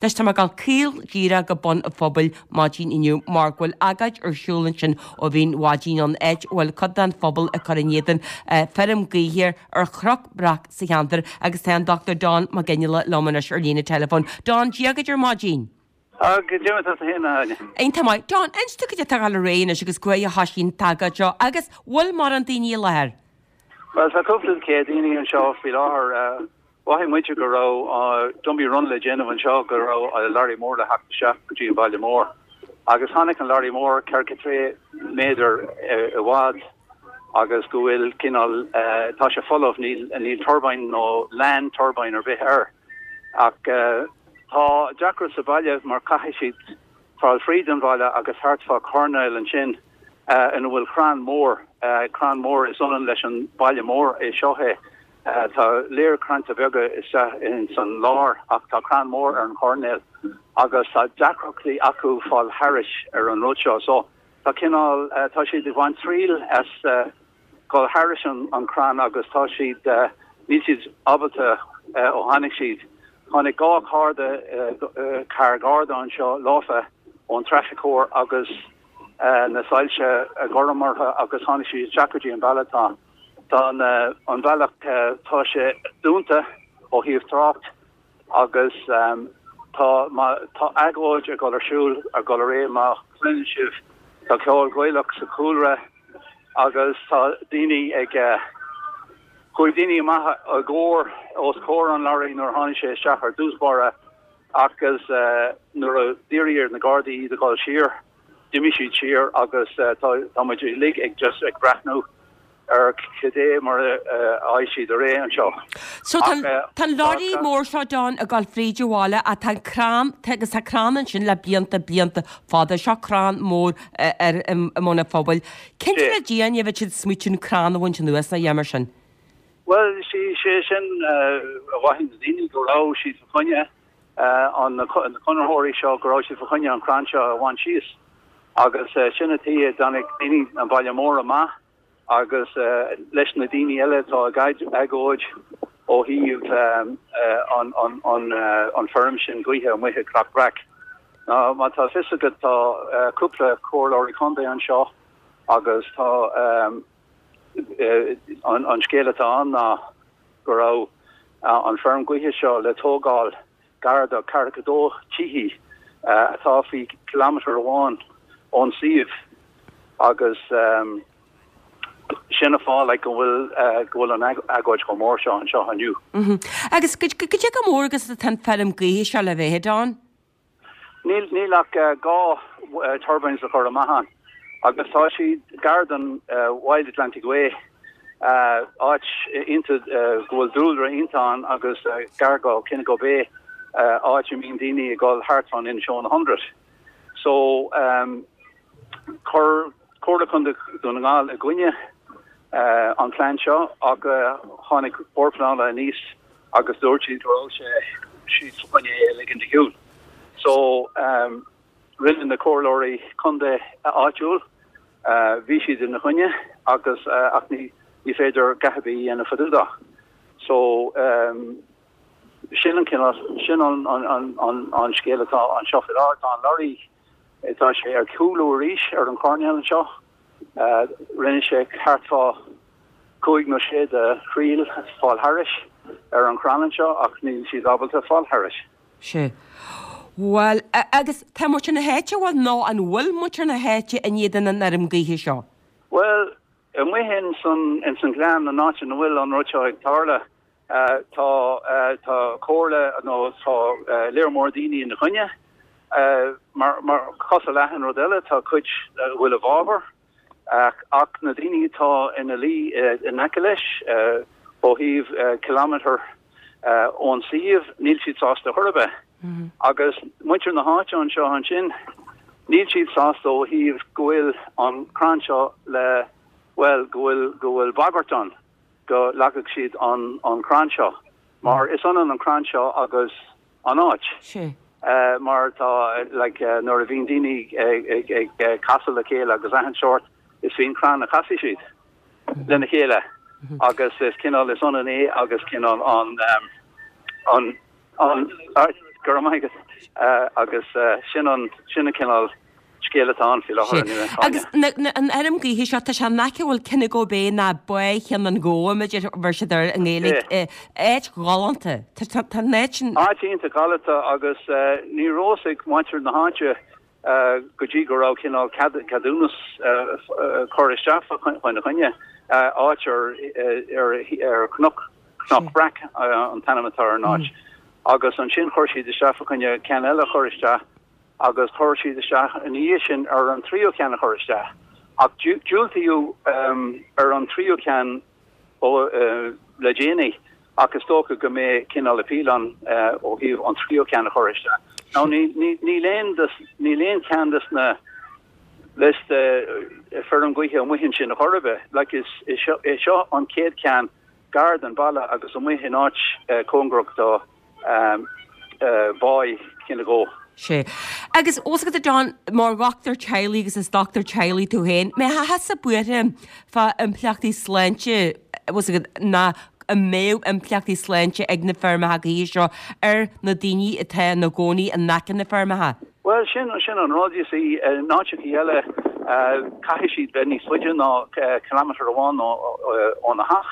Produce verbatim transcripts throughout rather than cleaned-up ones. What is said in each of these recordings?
Anois tá mé ag dul caol díreach go Bun an Phobail maidin inniu mar go bhfuil agóid ar siúl ansin ó bhí an mhaidin ann, áit a bhfuil cuid den phobal ag cur in éadan feirm gaoithe ar Chnoc Breac sa cheantar agus tá an Dochtúir Don Mac Fhionnghaile liom anois ar líne teileafóin. Don, Dia dhuit ar maidin. Goidé mar atá tú féin, a Áine. Iontach maith. Don, inis dom cad é atá ag dul ar aghaidh anois agus cá huair a thoisigh an t-agóid seo agus bhfuil mórán daoine i láthair? Bhuel, tá cúpla céad daoine anseo faoi láthair. Mhothaigh muid go raibh dumpy run le déanamh anseo, go raibh lorry mór le theacht isteach go dtí an baile mór. Agus tháinig an lorry mór ceathracha trí méadar i bhfad agus go bhfuil cineál, tá sé folamh, níl níl turbine nó land turbine ar bith air. Ach tá deacracht sa bhaile mar caithfidh siad fáil fríd an bhaile agus thart fá choirnéal ansin ina bhfuil crann mór, crann mór is ionann leis an baile mór é seo é. Tá léir crainnte beaga isteach ins an lár ach tá crann mór ar an choirnéal agus tá deacrachtaí acu fáil thairis ar an rud seo. So tá cineál, tá siad ag baint triail as dhul thairis an crann agus tá siad, níl siad ábalta ó tháinig siad. Tháinig dhá charda, carr garda anseo leofa ón Traffic Corps agus na soilse gorm orthu agus tháinig siad isteach go dtí an bealach. Tá. Tá an bealach, tá sé dúnta ó thaobh trácht agus tá, tá agóid ag dul ar siúl, ag dul ar aghaidh, má chluineann sibh, tá ceol Gaelach sa chúlra agus tá daoine ag, chuaigh daoine amach i gcomhair, os comhair an lorry nuair a tháinig sé isteach ar dtús báire agus nuair a d'iarr ar na Gardaí iad a dhul siar, d'imigh siad siar agus tá muid uilig ag just ag breathnú ar cad é mar a ghabhfaidh siad ar aghaidh anseo. So tá tá an lorry mór seo Don ag dul fríd an bhaile ach tá an crann agus tá crann ansin le blianta blianta fada. Seo crann mór ar i mBun an Phobail. Cén cineál déanamh a bheadh siad ag smaoitiú an crann a bhaint anuas nó a dhéanamh mar sin? Bhuel, sé sin a mhothaigh na daoine go raibh siad fa choinne an na conraitheoirí seo go raibh siad fa choinne an crann seo a bhaint síos agus sin an tuige a dtáinig daoine an baile mór amach agus leis na daoine eile atá ag agóid ó thaobh an feirm sin gaoithe amuigh i gCnoc Breac. Ná má tá fios agat tá cúpla comhairleoirí contae anseo agus tá an scéal atá ann ná go raibh an feirm gaoithe seo le tógáil gar do ceathracha dó tithe atá faoi kilometre amháin ón suíomh agus sin an fáth like go bhfuil go bhfuil an agóid chomh mór seo anseo inniu. Agus goidé chomh mór agus atá an feirm gaoithe seo le bheith, Don? Níl níl ach dhá turbines a chur amach ann agus tá siad gar don Wild Atlantic Way, áit iontach go bhfuil dúlra iontach ann agus gar go Kinnagoe Bay, áit a mbíonn daoine ag dul thart fán Inishowen Hundred. So chuir Comhairle Contae Dhún na nGall i gcoinne an plean seo ach tháinig Bord Pleanála aníos agus dúirt siad go raibh sé siad fa choinne é a ligean de shiúl. So rinne na comhairleoirí contae áitiúil, bhí siad ina choinne agus ach ní ní féidir a dhath ar bith a dhéanamh fá dtaobh de. So sin an cineál, sin an an an an scéal atá anseo faoi láthair. Tá an lorry, tá sé ar cúlú arís ar an choirnéal anseo. Rinne sé thart fá cúig nó sé de thriail fáil thairis ar an chrann anseo ach níl siad ábalta fáil thairis. Sea. Bhuel, agus tá muintir na háite, bhuel, nó an bhfuil muintir na háite in éadan an fheirm gaoithe seo? Bhuel, amuigh ins an, ins an ghleann, an áit ina bhfuil an rud seo ag tarlú, tá, tá comhairle nó tá léar mór daoine ina choinne. Mar, mar, cosúil le achan rud eile, tá cuid a bhfuil i bhfabhar. Ach na daoine atá ina luí in aice leis, ó thaobh kilometre ón suíomh, níl siad sásta chor ar bith. Agus muintir na háite anseo ansin, níl siad sásta ó thaobh go bhfuil an crann seo le, bhuel, go bhfuil, go bhfuil bagairt ann go leagfadh siad an, an crann seo. Mar is ionann an crann seo agus an áit. Sea. Mar tá, like, nuair a bhíonn daoine ag, ag, ag casadh le chéile agus achan sórt, is faoin chrann a chasfaidh siad lena chéile agus is cineál, is ionann é agus cineál an, an, an, Go raibh maith agat. Agus sin an sin an cineál scéal atá ann faoi láthair inniu. Agus an fheirm gaoithe seo, tá sé in aice bhuel Kinnego Bay ná Bá Cheann an Ghabha, mar a bheir siad air i nGaeilge. Áit ghalánta. Tá an áit sin. Áit iontach galánta agus ní raibh fhios ag muintir na háite go dtí go raibh cineál ceadúnas curtha isteach faoina choinne, áit ar ar Chnoc Cnoc Breac an t-ainm atá ar an áit. Agus ansin chuir siad isteach fá choinne ceann eile a chur isteach agus chuir siad isteach ina dhiaidh sin ar an tríú ceann a chur isteach. Ach diúltaíodh ar an tríú ceann le déanaí ach is dócha go mbeidh cineál appeal ann ó thaobh an tríú ceann a chur isteach. Now níl aon níl aon cheann des na liosta feirm gaoithe amuigh ansin ar chor ar bith. Like is é seo an chéad cheann gar don bhaile agus amuigh in áit cóngarach do Bháigh Chinnegó. Sea. Agus os agat a John, mar dhochtúir teaghlaigh agus is dochtúir teaghlaigh tú féin, mbeifeá thusa buartha fá impleachtaí sláinte, bhfuil agat, ná an mbeadh impleachtaí sláinte ag na feirmeacha gaoithe seo ar na daoine atá ina gcónaí in aice na feirmeacha? Bhuel, sin, sin an rud, you see, in áiteachaí eile caithfidh siad bheith níos faide ná kilometre amháin óna theach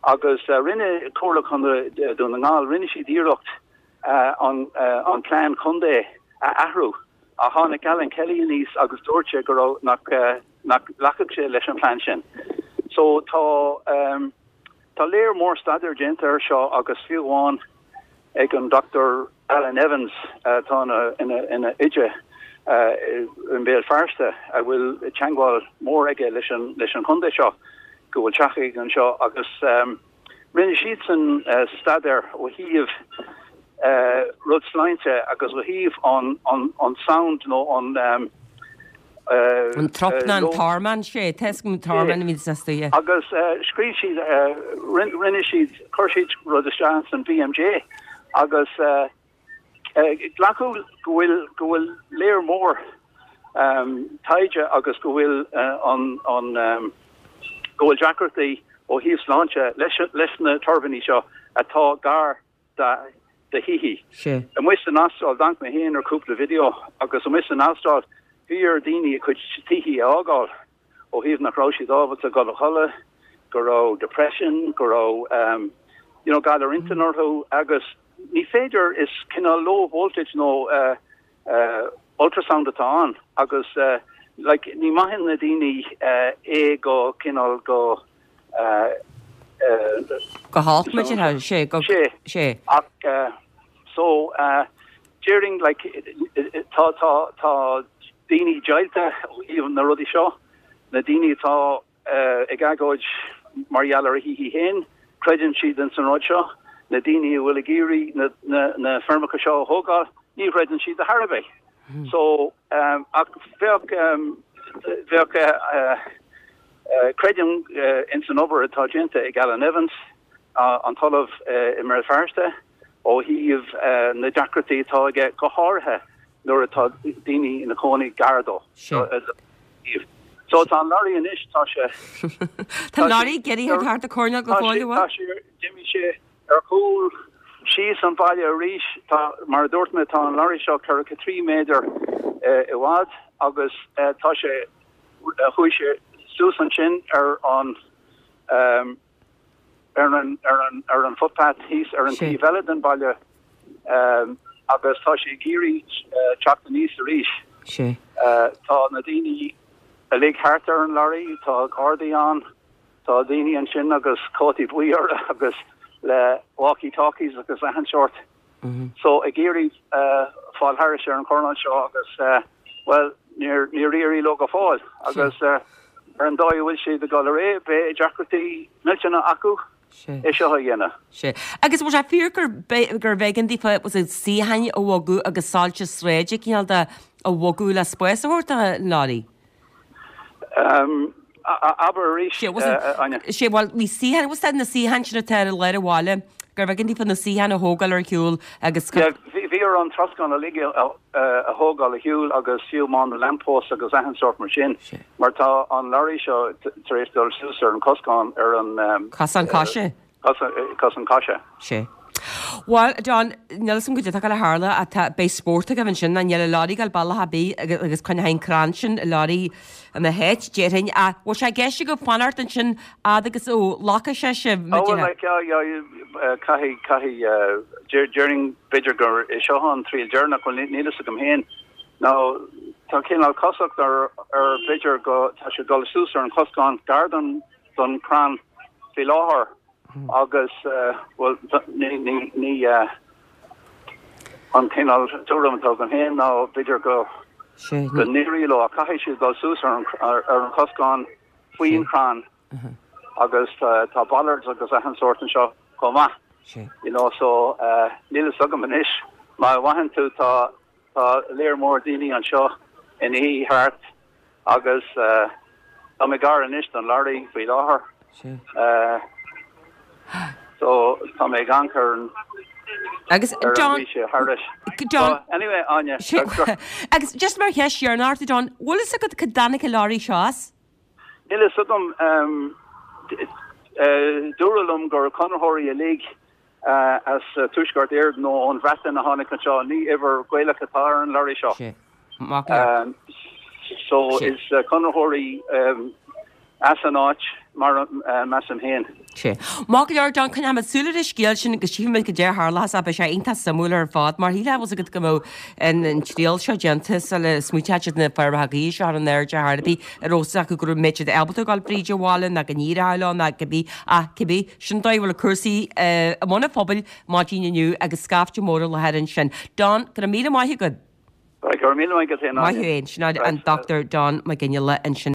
agus rinne Comhairle Contae Dún na nGall, rinne siad iarracht an an plean contae a athrú ach tháinig Alan Kelly aníos agus dúirt sé go raibh nach nach nglacfadh sé leis an plean sin. So tá tá léar mór staidéar déanta air seo agus fiú amháin ag an Dochtúir Alan Evans atá ina ina ina oide i mBéal Feirste a bhfuil teagmháil mór aige leis an leis an chontae seo go bhfuil teach aige anseo agus rinne siadsan staidéar ó thaobh rud sláinte agus ó thaobh an an an sound nó an An trup ná an tormán sé, tá an tormán a bhí sa stoighe. Agus scríobh siad rinne siad chuir siad rud isteach san B M J agus glacadh go bhfuil go bhfuil léar mór taighde agus go bhfuil an an go bhfuil deacrachtaí ó thaobh sláinte leis leis na tuirbíní seo atá gar do thithe. Sé. Amuigh san Astráil d'amharc mé féin ar cúpla video agus amuigh san Astráil bhí ar daoine a cuid tithe a fhágáil ó thaobh nach raibh siad ábalta dul a chodladh, go raibh depression, go raibh um, you know, galar intinne orthu agus ní féidir is cineál low voltage nó uh, uh, ultrasound atá ann agus uh, like, ní maitheann na daoine uh, é go cineál go uh, uh, Go halt mu sé go sé sé. Ach uh, so uh, during like tá tá tá daoine deighilte ó thaobh na rudaí seo na daoine atá uh, ag agóid mar gheall ar a thithe féin creideann siad in san rud seo na daoine a bhfuil ag iarraidh na, na, na feirmeacha seo a thógáil ní chreideann siad ar bith. Hmm. So um, ach bheadh um, bheadh uh, uh, uh, creidim uh, in san obair atá déanta ag Alan Evans uh, an t-ollamh uh, i mBéal Feirste ó thaobh uh, na deacrachtaí atá aige go háirithe nuair atá daoine ina cónaí gar dó. So, so tá an lorry anois tá sé Tá lorry getí thart a corna go fóill? D'imigh sé ar chúl síos an baile arís tá mar dúirt mé tá an lorry seo ceathracha trí méadar i bhfad agus uh, tá sé uh, chuaigh sé suas ansin ar an um, ar an ar an ar an footpath thíos ar an taobh eile den baile um, agus tá sé ag iarraidh uh, teacht aníos arís. sé. Uh, tá na daoine uilig thart ar an lorry, tá gardaí ann, tá daoine ansin agus cótaí buí agus le walkie-talkies agus achan sórt. Mm -hmm. So ag iarraidh uh, fáil thairis ar an chornán seo agus uh, well níor níor éirigh leo go fóill agus uh, ar an dóigh bhfuil sé ag dul ar aghaidh beidh deacrachtaí millteanna acu é seo a dhéanamh. Sé. Agus bhfuil sé fíor gur gur b'éigean daofa was suíocháin a bhogadh agus soilse sráide cineál de a bhogadh le spás a thabhairt don lorry? Um, abair arís sé well bhí suíocháin was na suíocháin sin atá i lár an bhaile gur b'éigean daofa na suíocháin a thógáil ar shiúl agus Bhí ar an troscán uilig a thógáil ar shiúl agus fiú amháin na lamppost agus achan sórt mar sin. Mar tá an lorry seo tar éis dul suas ar an cosán ar an Cosán coise? Cosán coise. Sé. Bhuel, Don, níl 'fhios a'm goidé atá ag gabháil a tharlú ach tá, beidh spórt agaibh ansin, ná níl an lorry ag gabháil bealach ar bith agus, agus coinneoidh an crann sin an lorry ina háit, déarfainn. Ach bhfuil sé i gceist agaibh fanacht ansin fhad agus a ghlacfaidh sé sibh, Oh, well, like, yeah, yeah, caithfidh, caithfidh, déarfainn b'fhéidir gur é seo an triail deireanach, bhuel, níl 'fhios agam féin. Now, tá cineál cosúlacht ar, ar b'fhéidir go, tá sé ag dul suas ar an choscán gar don, don chrann faoi láthair agus, bhuel, ní, ní, ní, an cineál tuairim atá agam féin ná b'fhéidir go, go n-éireoidh leo ach caithfidh siad dul suas ar an, ar an choscán faoin chrann agus tá bollards agus achan sórt anseo chomh maith. You know, so níl 'fhios agam anois má mhothaíonn tú tá Tá léar mór daoine anseo ina shuí thart agus tá mé gar anois don lorry faoi láthair. So tá mé ag amharc ar an Agus ar an John, bhí sé thairis. John, So anyway, Áine, agus just mar cheist dheireanach ort, John, bhfuil fhios agat cá dtáinig an lorry seo as? Níl fhios agam, dúradh liom gur conraitheoirí uilig as Tuaisceart Éireann nó ón Bhreatain a tháinig anseo, ní uimhir Ghaelach atá ar an lorry seo. Sé. Maith go leor. So Sé. is conraitheoirí as an áit mar measaim féin. Sé. Maith go leor, John, coinneoidh muid súil ar an scéal sin agus tchífidh muid goidé a tharlós ach beidh sé iontach suimiúil ar fad mar shílfeá bhfuil 's agat go mbeadh an an triail seo déanta sula smaointeodh siad na feirmeacha gaoithe seo ar an airde ar bith a raibh 's acu go raibh mbeadh siad ábalta dul fríd an bhaile ná go n-éireodh leo ná cibé ach cibé sin dóigh a bhfuil cúrsaí i mbun an phobail maidin inniu agus scaifte mór i láthair ansin. Don, go raibh míle maith agat. Right, go raibh míle maith agat féin, Maith Áine. thú féin. Sin an Dr Don Mac Fhionnghaile ansin.